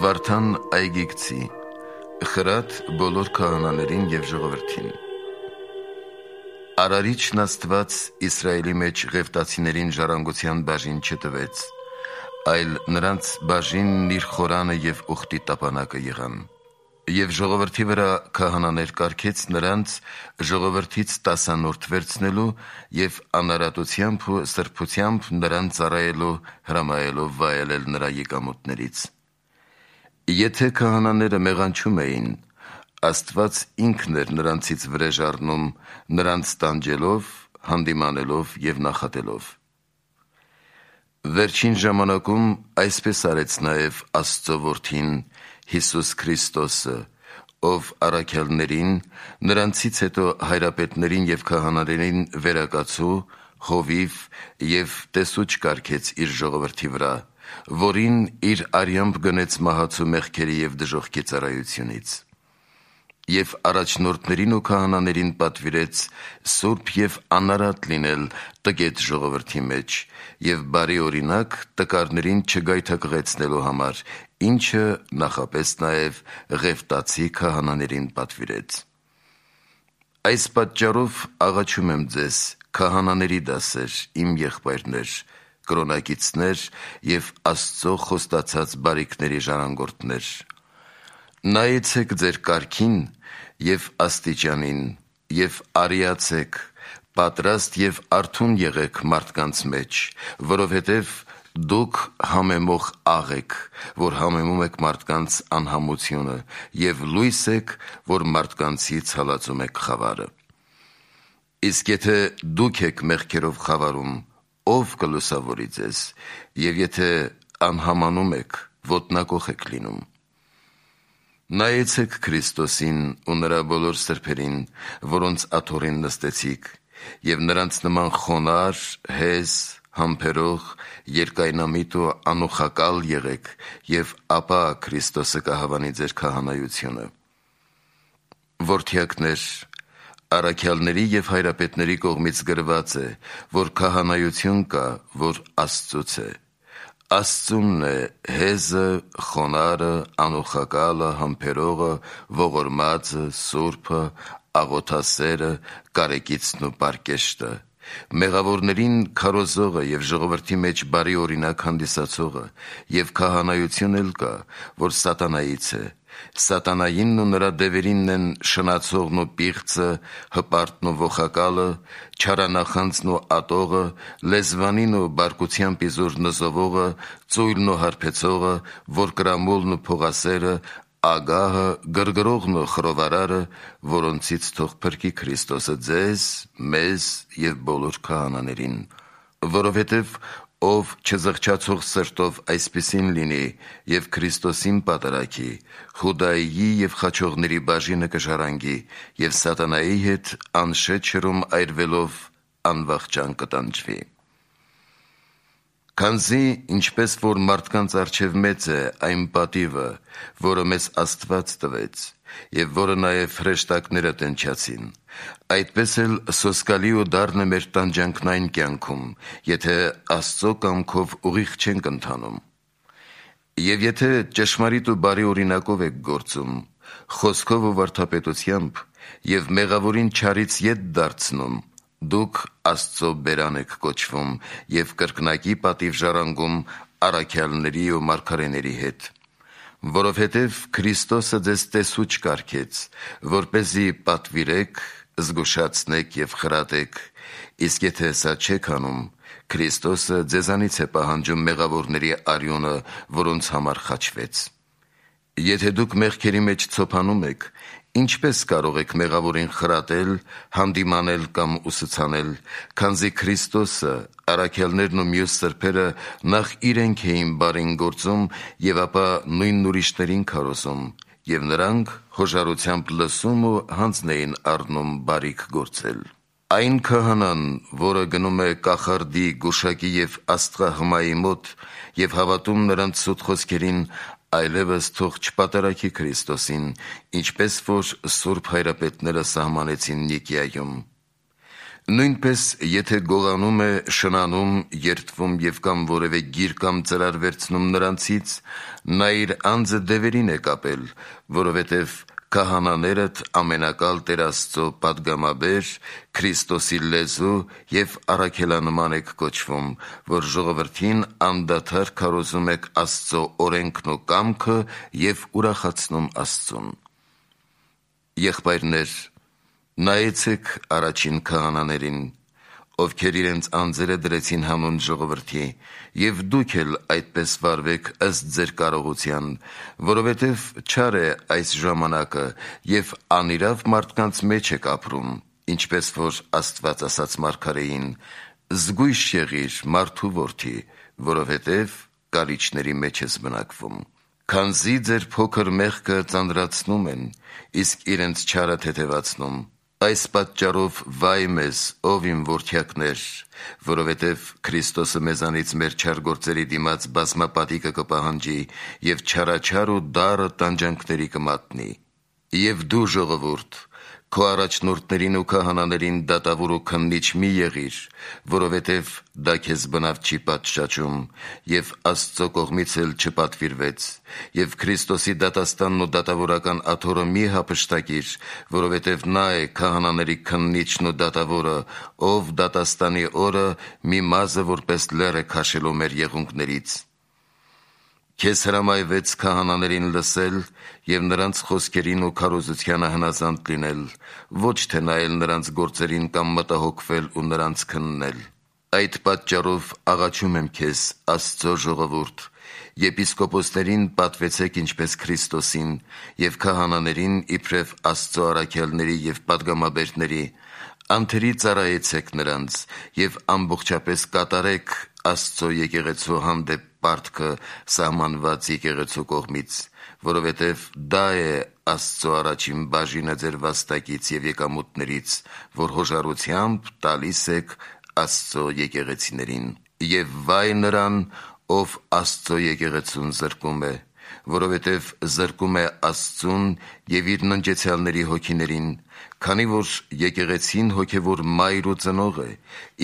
Վարդան Այգիգցի խրատ բոլոր քահանաներին և ժողովրդին։ Արարիչն Աստված Իսրայելի մեջ Ղևտացիներին ժառանգության բաժին չտվեց, այլ նրանց բաժինն իր խորանը և ուխտի տապանակը եղան։ Եվ ժողովրդի վրա քահանաներ կարգեց նրանց ժողովրդից 10 վերցնելու և անարատությամբ ու սրբությամբ նրան ծառայելու, հրամայելով վայելել նրա եկամուտներից։ Եթե քահանաները մեղանչում էին, Աստված ինքն էր նրանցից վրեժ առնում, նրանց տանջելով, հանդիմանելով և նախատելով։ Վերջին ժամանակում այսպես արեց նաև Աստծո Որդին Հիսուս Քրիստոսը, ով առաքյալներին, նրանցից հետո հայրապետներին և քահանաներին վերակացու, հովիվ և տեսուչ կարգեց իր ժողովրդի վրա, որին իր արյամբ գնեց մահացու մեղքերի և դժոխքի ծառայությունից։ Եվ առաջնորդներին ու քահանաներին պատվիրեց սուրբ և անարատ լինել տգետ ժողովրդի մեջ և բարի օրինակ տկարներին չգայթակղեցնելու համար, ինչը նախապես նաև Ղևտացի քահանաներին պատվիրեց։ Այս պատճառով աղաչում եմ ձեզ, քահանաների դասեր, իմ եղբայրներ, կրոնակիցներ և Աստծո խոստացած բարիքների ժառանգորդներ, նայեցեք ձեր կարգին և աստիճանին և արիացեք, պատրաստ և արթուն եղեք մարդկանց մեջ, որովհետև դուք համեմող աղ եք, որ համեմում եք մարդկանց անհամությունը, և լույս եք, որ մարդկանցից հալածում եք խավարը։ Իսկ եթե դուք եք մեղքերով խավարում, ով կլուսավորի ձեզ, և եթե անհամանում եք, ոտնակոխ եք լինում։ Նայեցեք Քրիստոսին ու նրա բոլոր սրբերին, որոնց աթոռին նստեցիք, և նրանց նման խոնարհ, հեզ, համբերող, երկայնամիտ ու անուխակալ եղեք, և ապա Քրիստոսը կհավանի ձեր քահանայությունը։ Որդյակներ, առաքյալների և հայրապետների կողմից գրված է, որ քահանայություն կա, որ Աստծուց է։ Աստծունն է հեզը, խոնարհը, անուխակալը, համբերողը, ողորմածը, սուրբը, աղոթասերը, կարեկիցն ու պարկեշտը, մեղավորներին քարոզողը և ժողովրդի մեջ բարի օրինակ հանդիսացողը, և քահանայություն էլ կա, որ սատանայից է։ Սատանայինն ու նրա դևերինն են շնացողն ու պիղծը, հպարտն ու ոխակալը, չարանախանձն ու ատողը, լեզվանին ու բարկությամբ իզուր նզովողը, ծույլն ու հարբեցողը, որկրամոլն ու փողասերը, ագահը, գրգռողն ու խռովարարը, որոնցից թող փրկի Քրիստոսը ձեզ, մեզ և բոլոր քահանաներին։ Որովհետև ով չզղջացող սրտով այսպիսին լինի և Քրիստոսին պատարագի, Խուդայիի և խաչողների բաժինը կժառանգի և սատանայի հետ անշետ ջրում այրվելով անվախճան կտանջվի։ Քանզի ինչպես որ մարդկանց առջև մեծ է այն պատիվը, որը մեզ Աստված տվեց, և որը նաև հրեշտակները տենչացին, այդպես էլ սոսկալի ու դառն է մեր տանջանքն կյանքում, եթե Աստծո կամքով ուղիղ չենք ընթանում։ Եվ եթե ճշմարիտ ու բարի օրինակով եք գործում, խոսքով ու վարդապետությամբ, և մեղավորին չարից ետ դարձնում, դուք Աստծո բերան եք կոչվում և կրկնակի պատիվ ժառանգում առաքյալների ու մարգարեների հետ։ Որովհետև Քրիստոսը ձեզ տեսուչ կարգեց, որպեսզի պատվիրեք, զգուշացնեք և խրատեք, իսկ եթե սա չեք անում, Քրիստոսը ձեզանից է պահանջում մեղավորների արյունը, որոնց համար խաչվեց։ Եթե դուք մեղքերի մեջ ցոփանում եք, ինչպե՞ս կարող եք մեղավորին խրատել, հանդիմանել կամ ուսուցանել, քանզի Քրիստոսը, առաքյալներն ու մյուս սրբերը նախ իրենք էին բարին գործում և ապա նույնն ուրիշներին քարոզում, և նրանք հոժարությամբ լսում ու հանձն էին առնում բարիք գործել։ Այն քահանան, որը գնում է կախարդի, գուշակի և աստղահմայի մոտ և հավատում նրանց սուտ խոսքերին, այլևս թող չպատարագի Քրիստոսին, ինչպես որ սուրբ հայրապետները սահմանեցին Նիկիայում։ Նույնպես, եթե գողանում է, շնանում, երդվում և կամ որևէ գիր կամ ծրար վերցնում նրանցից, նա իր անձը դևերին է կապել, որովհետև քահանաներդ ամենակալ Տեր Աստծո պատգամաբեր, Քրիստոսի լեզու և առաքելանման եք կոչվում, որ ժողովրդին անդադար քարոզում եք Աստծո օրենքն ու կամքը և ուրախացնում Աստծուն։ Եղբայրներ, նայեցեք առաջին քահանաներին, ովքեր իրենց անձերը դրեցին հանուն ժողովրդի, և դուք էլ այդպես վարվեք ըստ ձեր կարողության, որովհետև չար է այս ժամանակը և անիրավ մարդկանց մեջ եք ապրում, ինչպես որ Աստված ասաց մարգարեին. «Զգույշ եղիր, մարդու որդի, որովհետև կարիճների մեջ ես բնակվում»։ Քանզի ձեր փոքր մեղքը ծանրացնում են, իսկ իրենց չարը թեթևացնում։ Այս պատճառով վայ մեզ, ով իմ որդյակներ, որովհետև Քրիստոսը մեզանից մեր չար գործերի դիմաց բազմապատիկը կպահանջի և չարաչար ու դառը տանջանքների կմատնի։ Եվ դու, ժողովուրդ, քո առաջնորդներին ու քահանաներին դատավոր ու քննիչ մի եղիր, որովհետև դա քեզ բնավ չի պատշաճում, և Աստծո կողմից էլ չպատվիրվեց, և Քրիստոսի դատաստանն ու դատավորական աթոռը մի հափշտակիր, որովհետև նա է քահանաների քննիչն ու դատավորը, ով դատաստանի օրը մի մազը որպես լեռ է քաշելու մեր եղունգներից։ Քեզ հրամայվեց քահանաներին լսել և նրանց խոսքերին ու քարոզությանը հնազանդ լինել, ոչ թե նայել նրանց գործերին կամ մտահոգվել ու նրանց քննել։ Այդ պատճառով աղաչում եմ քեզ, Աստծո ժողովուրդ, եպիսկոպոսներին պատվեցեք ինչպես Քրիստոսին, և քահանաներին իբրև Աստծո առաքյալների և պատգամաբերների, անթերի ծառայեցեք նրանց և ամբողջապես կատարեք Աստծո եկեղեցու հանդեպ պարտքը սահմանված եկեղեցու կողմից, որովհետև դա է Աստծո առաջին բաժինը ձեր վաստակից և եկամուտներից, որ հոժարությամբ տալիս եք Աստծո եկեղեցիներին։ Եվ վայ նրան, ով Աստծո եկեղեցուն զրկում է, որովհետև զրկում է Աստծուն և իր ննջեցյալների հոգիներին, քանի որ եկեղեցին հոգևոր մայր ու ծնող է,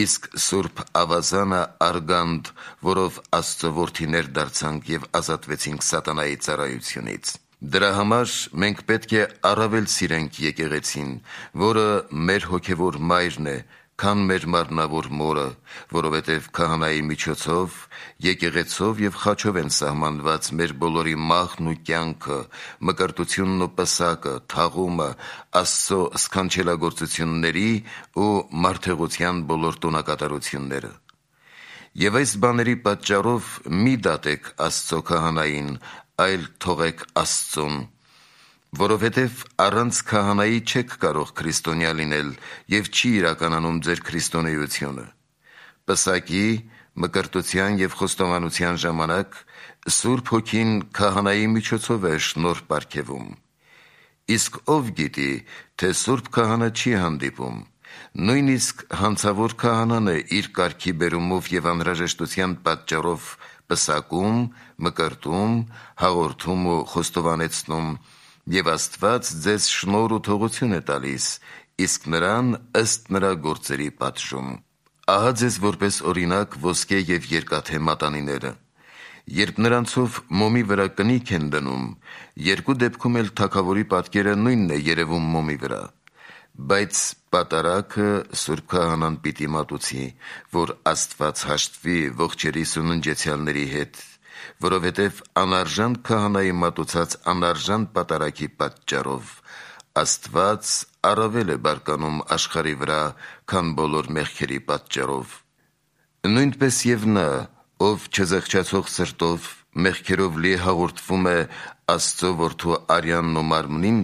իսկ Սուրբ Ավազանը արգանդ, որով Աստծո որդիներ դարձանք և ազատվեցինք սատանայի ծառայությունից։ Դրա համար մենք պետք է առավել սիրենք եկեղեցին, որը մեր հոգևոր մայրն է, քան մեր մարմնավոր մորը, որովհետև քահանայի միջոցով, եկեղեցով և խաչով են սահմանված մեր բոլորի մահն ու կյանքը, մկրտությունն ու պսակը, թաղումը, Աստծո սքանչելագործությունների ու մարդեղության բոլոր տոնակատարությունները։ Եվ այս բաների պատճառով մի դատեք Աստծո քահանային, այլ թողեք Աստծուն, որովհետև առանց քահանայի չեք կարող քրիստոնյա լինել և չի իրականանում ձեր քրիստոնեությունը։ Պսակի, մկրտության և խոստովանության ժամանակ Սուրբ Հոգին քահանայի միջոցով է շնորհ պարգևում։ Իսկ ով գիտի, թե Սուրբ Քահանա չի հանդիպում։ Նույնիսկ հանցավոր քահանան է իր կարգի բերումով և անհրաժեշտության պատճառով պսակում, մկրտում, հաղորդում ու խոստովանեցնում, և Աստված ձեզ շնորհ ու թողություն է տալիս, իսկ նրան ըստ նրա գործերի պատժում։ Ահա ձեզ որպես օրինակ ոսկե և երկաթե մատանիները։ Երբ նրանցով մոմի վրա կնիք են դնում, երկու դեպքում էլ թագավորի պատկերը նույնն է երևում մոմի վրա։ Բայց պատարագը Սուրբ Քահանան պիտի մատուցի, որ Աստված հաշտվի ողջերիս ու ննջեցյալների հետ, որովհետև անարժան քահանայի մատուցած անարժան պատարագի պատճառով Աստված առավել է բարկանում աշխարհի վրա, քան բոլոր մեղքերի պատճառով։ Նույնպես և նա, ով չզղջացող սրտով, մեղքերով լի հաղորդվում է Աստծո որդու արյանն ու մարմնին,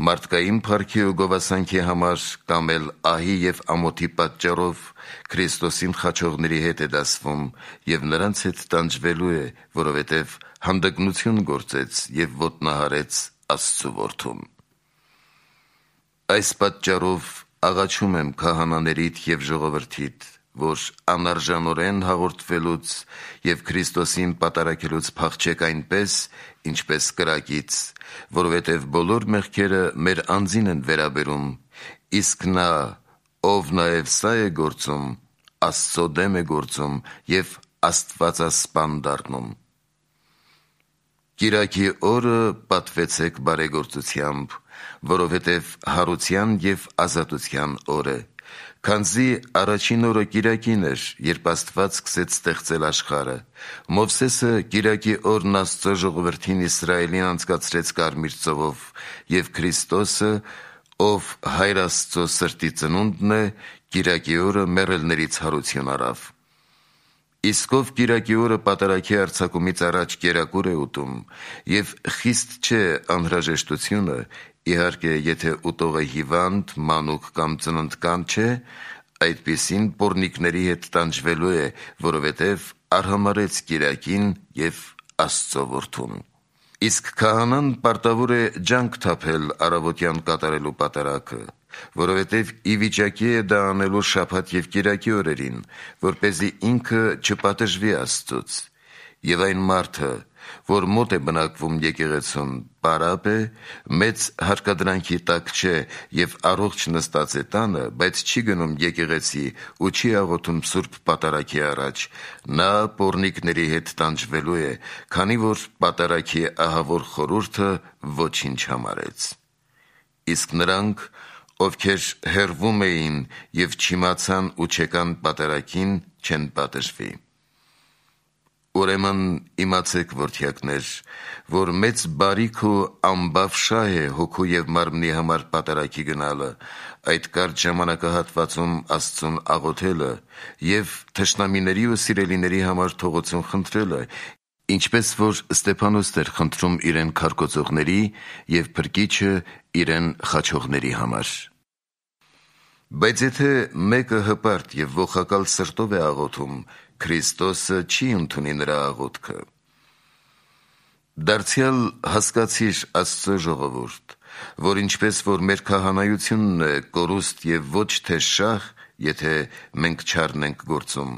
մարդկային փառքի ու գովասանքի համար կամ էլ ահի և ամոթի պատճառով Քրիստոսին խաչողների հետ է դասվում և նրանց հետ տանջվելու է, որովհետև հանդգնություն գործեց և ոտնահարեց Աստծու որդուն։ Այս պատճառով աղաչում եմ քահանաներիդ և ժողովրդիդ, որ անարժանորեն հաղորդվելուց և Քրիստոսին պատարագելուց փախչեք այնպես, ինչպես կրակից, որովհետև բոլոր մեղքերը մեր անձին են վերաբերում, իսկ նա, ով նաև սա է գործում, Աստծո դեմ է գործում և աստվածասպան դառնում։ Կիրակի օրը պատվեցեք բարեգործությամբ, որովհետև հարության և ազատության օր է, քանզի առաջին օրը կիրակին էր, երբ Աստված սկսեց ստեղծել աշխարհը։ Մովսեսը կիրակի օրն Աստծո ժողովրդին Իսրայելին անցկացրեց Կարմիր ծովով, և Քրիստոսը, ով Հայր Աստծո սրտի ծնունդն է, կիրակի օրը մեռելներից հարություն առավ։ Իսկ ով կիրակի օրը պատարագի արձակումից առաջ կերակուր է ուտում, և խիստ չէ անհրաժեշտությունը, իհարկե, եթե ուտողը հիվանդ, մանուկ կամ ծննդկան չէ, այդպիսին պոռնիկների հետ տանջվելու է, որովհետև արհամարհեց կիրակին և Աստծո որդուն։ Իսկ քահանան պարտավոր է ջանք թափել առավոտյան կատարելու պատարագը, որովհետև ի վիճակի է դա անելու շաբաթ և կիրակի օրերին, որպեսզի ինքը չպատժվի Աստծուց։ Եվ այն մարդը, որ մոտ է բնակվում եկեղեցուն, պարապ է, մեծ հարկադրանքի տակ չէ և առողջ նստած է տանը, բայց չի գնում եկեղեցի ու չի աղոթում սուրբ պատարագի առաջ, նա պոռնիկների հետ տանջվելու է, քանի որ պատարագի ահավոր խորհուրդը ոչինչ համարեց։ Իսկ նրանք, ովքեր հեռվում էին և չիմացան ու չեկան պատարագին, չեն պատժվի։ Ուրեմն իմացեք, որդյակներ, որ մեծ բարիք ու ամբավ շահ է հոգու և մարմնի համար պատարագի գնալը, այդ կարճ ժամանակահատվածում Աստծուն աղոթելը և թշնամիների ու սիրելիների համար թողություն խնդրելը, ինչպես որ Ստեփանոսն էր խնդրում իրեն քարկոծողների և Փրկիչը իրեն խաչողների համար։ Բայց եթե մեկը հպարտ և ողակալ սրտով է աղոթում, Քրիստոսը չի ընդունի նրա աղոթքը։ Դարձյալ հասկացիր, Աստծո ժողովուրդ, որ ինչպես որ մեր քահանայությունն է կորուստ և ոչ թե շահ, եթե մենք չառնենք գործում,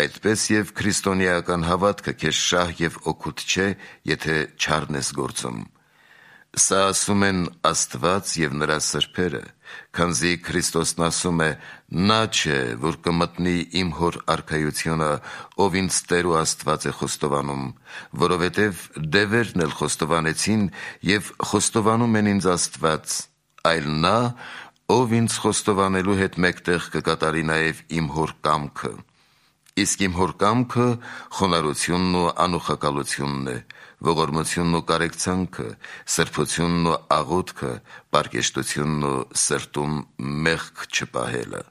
այդպես և քրիստոնեական հավատքը քեզ շահ և օգուտ չէ, եթե չառնես գործում։ Սա ասում են Աստված և նրա սրբերը, քանզի Քրիստոսն ասում է. «Նա չէ, որ կմտնի իմ Հոր արքայությունը, ով ինձ Տեր ու Աստված է խոստովանում, որովհետև դևերն էլ խոստովանեցին և խոստովանում են ինձ Աստված, այլ նա, ով ինձ խոստովանելու հետ մեկտեղ կկատարի նաև իմ Հոր կամքը։ Իսկ իմ Հոր կամքը խոնարհությունն ու անուխակալությունն է, ողորմությունն ու կարեկցանքը, սրբությունն ու աղոթքը, պարկեշտությունն ու սրտում մեղք չպահելը»։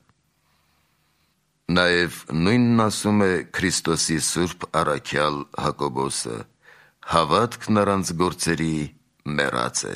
Նաև նույնն ասում է Քրիստոսի սուրբ առաքյալ Հակոբոսը. «Հավատքն առանց գործերի մեռած է»։